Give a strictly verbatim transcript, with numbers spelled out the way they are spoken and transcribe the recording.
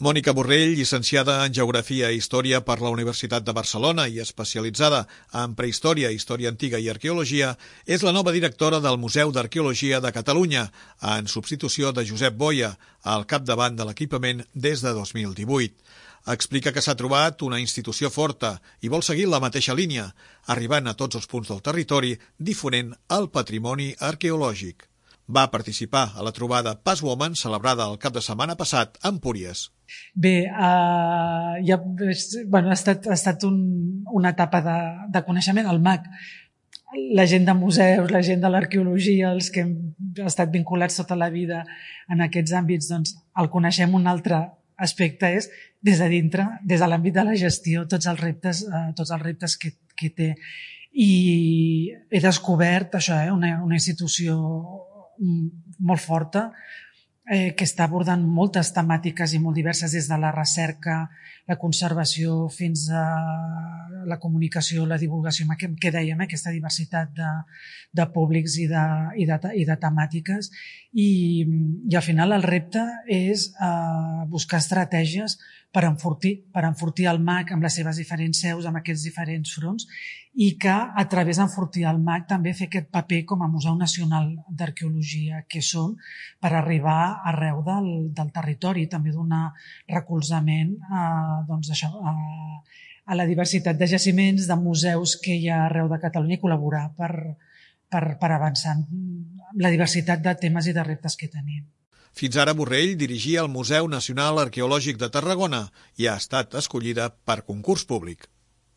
Mònica Borrell, llicenciada en Geografia i Història per la Universitat de Barcelona i especialitzada en Prehistòria, Història Antiga i Arqueologia, és la nova directora del Museu d'Arqueologia de Catalunya, en substitució de Josep Boia, al capdavant de l'equipament des de dos mil divuit. Explica que s'ha trobat una institució forta i vol seguir la mateixa línia, arribant a tots els punts del territori, difonent el patrimoni arqueològic. Va participar a la trobada Passwoman celebrada el cap de setmana passat a Empúries. Bé, uh, ja, bueno, ha estat, ha estat un, una etapa de, de coneixement. El M A C, la gent de museus, la gent de l'arqueologia, els que hem estat vinculats tota la vida en aquests àmbits, doncs el coneixem. Un altre aspecte és des de dintre, des de l'àmbit de la gestió, tots els reptes, uh, tots els reptes que, que té. I he descobert això, eh, una, una institució molt forta, eh, que està abordant moltes temàtiques i molt diverses, des de la recerca, la conservació, fins a la comunicació, la divulgació, que dèiem, eh, aquesta diversitat de, de públics i de, i, de, i de temàtiques. I, i al final el repte és eh, buscar estratègies per enfortir, per enfortir el M A C amb les seves diferents seus, amb aquests diferents fronts, i que a través d'enfortir el M A C també fer aquest paper com a Museu Nacional d'Arqueologia que som, per arribar arreu del, del territori, també donar recolzament a, doncs això, a, a la diversitat de jaciments, de museus que hi ha arreu de Catalunya i col·laborar per, per, per avançar en la diversitat de temes i de reptes que tenim. Fins ara Borrell dirigia el Museu Nacional Arqueològic de Tarragona i ha estat escollida per concurs públic.